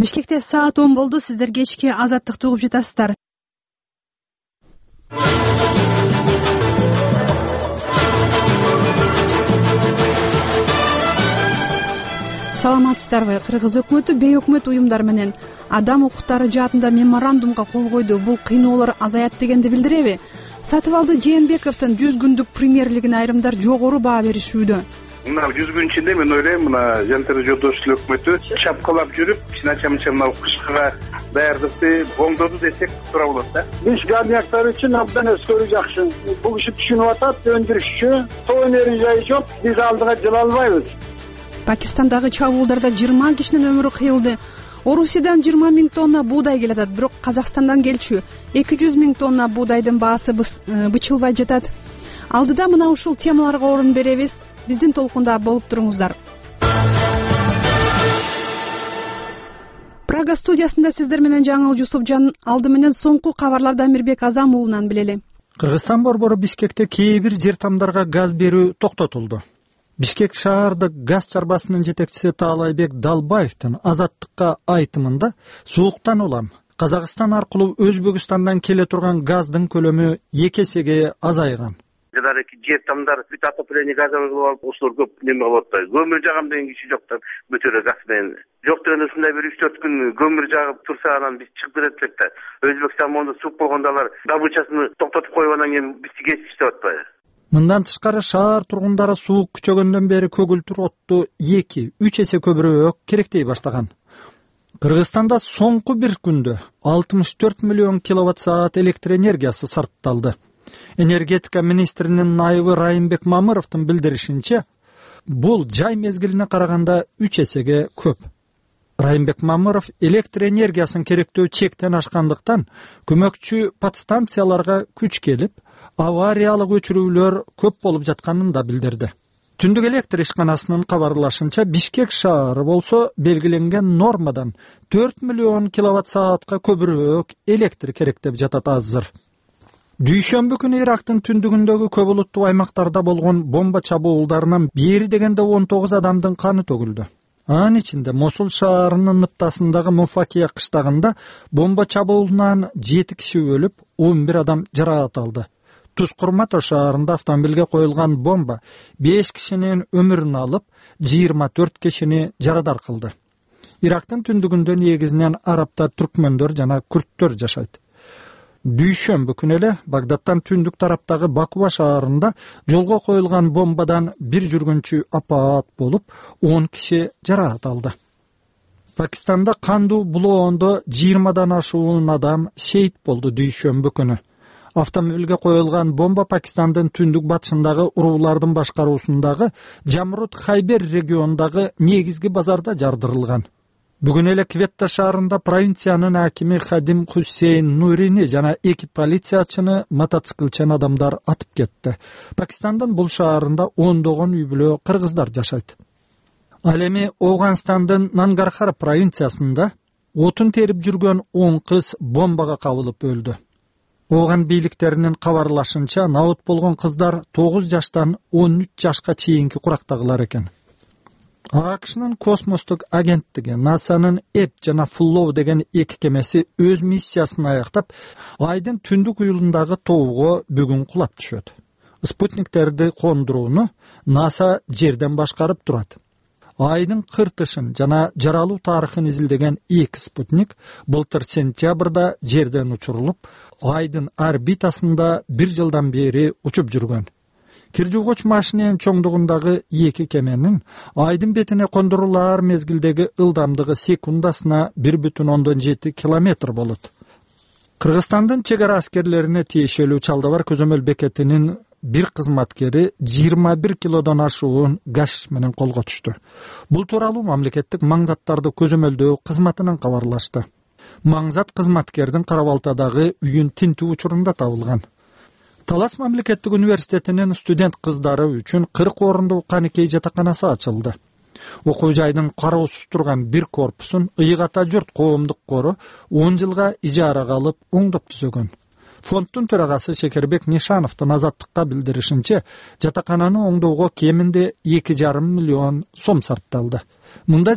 Бишкекте саат 10 болду. Сиздер кечки Азаттыкты угуп жатасыздар. Саламатсыздарбы? Кыргыз өкмөтү бейөкмөт уюмдар менен адам укуктары жаатында меморандумга кол койду. Бул кыйноолор азаят дегенди билдиреби? Сатыбалды Жээнбековдун 100 күндүк премьерлигине айрымдар жогору баа беришүүдө. Мына 100 күн ичинде мен ойлойм, мына Жантер Жолдошов өкмөтү чапкалап жүрүп, чынача мына кышкыга даярдыкты оңдоду десек туура болот да. Биз гарнияктар үчүн абдан өскөрү жакшы. Бул киши түшүнүп атат, өндүрүшчү, тоо энергия жок, биз алдыга жыла албайбыз. Пакистандагы чабуулдарда 20 кишинин өмүрү кыйылды. Орусиядан 20 000 тонна буудай келет, бирок Казакстандан келчү 200 000 тонна буудайдын баасы бычылбай жатат. Алдыда мына ушул темаларга орун беребиз. Биздин толкунда болуп туруңуздар. Прага студиясында сиздер менен Жаңыл Жусупжан. Алды менен соңку кабарларды Амирбек Азам уулунан билели. Кыргызстан борбору Бишкекте кээ бир жер тамдарга газ берүү токтотулду. Бишкек шаардык газ чарбасынын жетекчиси Таалайбек Далбаевдин Азаттыкка айтымында сууктан улам Казакстан аркылуу Өзбекстандан келе турган газдын көлөмү 2 эсеге азайган. Жанагы жер тамдар бүт отопление газдан кылып алып, ошолор көп неме болот да. Көмүр жагам деген киши жок да, бүтөрө газ менен. Жок деген ушундай бир 3-4 күн көмүр жагып турса, анан биз чыгып кетет элек да. Өзбекстан монда суук болгондо алар добычасын токтотуп коюп анан кийин бизди кесип иштеп атпайбы? Мындан тышкары шаар тургундары суук күчөгөндөн бери көгүлтүр отту 2-3 эсе көбүрөөк керектей баштаган. Кыргызстанда соңку бир күндө 64 миллион киловатт-саат электр энергиясы сарпталды. Энергетика министринин найыбы Райымбек Мамыровдун билдиришинче, бул жай мезгилине караганда 3 эсеге көп. Райымбек Мамыров электр энергиясын керектөө чектен ашкандыктан көмөкчү подстанцияларга күч келип, авариялык өчүрүүлөр көп болуп жатканын да билдирди. Түндүк электр ишканасынын кабарлашынча, Бишкек шаары болсо белгиленген нормадан 4 миллион киловатт-саатка көбүрөөк электр керек деп жатат азыр. Дүйшөмбү күнү Ирактын түндүгүндөгү көп улуттуу аймактарда болгон бомба чабуулдарынан бери дегенде 19 адамдын каны төгүлдү. Анын ичинде Мосул шаарынын ныптасындагы Муфакия кыштагында бомба чабуулунан 7 киши өлүп, 11 адам жаракат алды. Тускурмато шаарында автомобилге коюлган бомба 5 кишинин өмүрүн алып, 24 кишини жарадар кылды. Ирактын түндүгүндө негизинен арабтар, түркмөндөр жана күрттөр жашайт. Дүйшөмбү күнү эле Багдадтан түндүк тараптагы Бакува шаарында жолго коюлган бомбадан бир жүргүнчү апаат болуп, 10 киши жаракат алды. Пакистанда кандуу булоондо 20дан ашуун адам шейит болду дүйшөмбү күнү. Автомобилге коюлган бомба Пакистандын түндүк батышындагы уруулардын башкаруусундагы Жамрут Хайбер регионундагы негизги базарда жардырылган. Бүгүн эле Кветта шаарында провинциянын акими Хадим Хусейн Нурини жана 2 полициячыны мотоциклчен адамдар атып кетти. Пакистандын бул шаарында ондогон үй-бүлө кыргыздар жашайт. Ал эми Ооганстандын Нангархар провинциясында отун терип жүргөн 10 кыз бомбага кабылып өлдү. Ооган бийликтеринин кабарлашынча, наут болгон кыздар 9 жаштан 13 жашка чейинки курактагылар экен. АКШнын космостук агенттиги НАСАнын Эп жана Флоу деген 2 кемеси өз миссиясын аяктап, айдын түндүк уюлундагы тоого бүгүн кулап түшөт. Спутниктерди кондурууну НАСА жерден башкарып турат. Айдын кыртышын жана жаралуу тарыхын изилдеген 2 спутник былтыр сентябрда жерден учурулуп, айдын орбитасында 1 жылдан бери учуп жүргөн. Кир жуугуч машиненин чоңдугундагы 2 кеменин айдын бетине кондурулар мезгилдеги ылдамдыгы секундасына 1,7 километр болот. Кыргызстандын чек ара аскерлерине тиешелүү Чалдабар көзөмөл бекетинин бир кызматкери 21 килодон ашуун гаш менен колго түштү. Бул тууралуу мамлекеттик маңзаттарды көзөмөлдөө кызматынан кабарлашты. Маңзат кызматкердин Карабалтадагы үйүн тинтүү учурунда табылган. Талас мамлекеттик университетинин студент кыздары үчүн 40 орундуу Каныкей жатаканасы ачылды. Окуу жайдын кароосуз турган бир корпусун Ыйгата журт коомдук кору 10 жылга ижарага алып оңдоп түзөгөн. Фонддун төрагасы Шекербек Нишановдун Азаттыкка билдиришинче, жатакананы оңдоого кеминде 2,5 миллион сом сарпталды. Мында